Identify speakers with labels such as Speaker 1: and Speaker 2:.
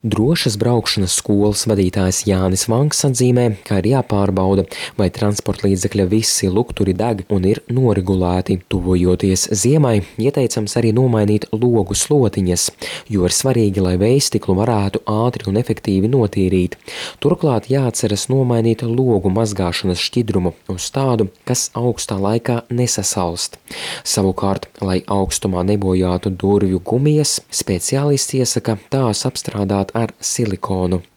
Speaker 1: Drošas braukšanas skolas vadītājs Jānis Vanks atzīmē, ka ir jāpārbauda, vai transporta līdzekļa visi lukturi deg un ir noregulēti. Tuvojoties ziemai, ieteicams arī nomainīt logu slotiņas, jo ir svarīgi, lai vējstiklu varētu ātri un efektīvi notīrīt. Turklāt jāatceras nomainīt logu mazgāšanas šķidrumu uz tādu, kas augstā laikā nesasalst. Savukārt, lai augstumā nebojātu durvju gumijas, speciālists iesaka tās apstrādāt ar silikonu.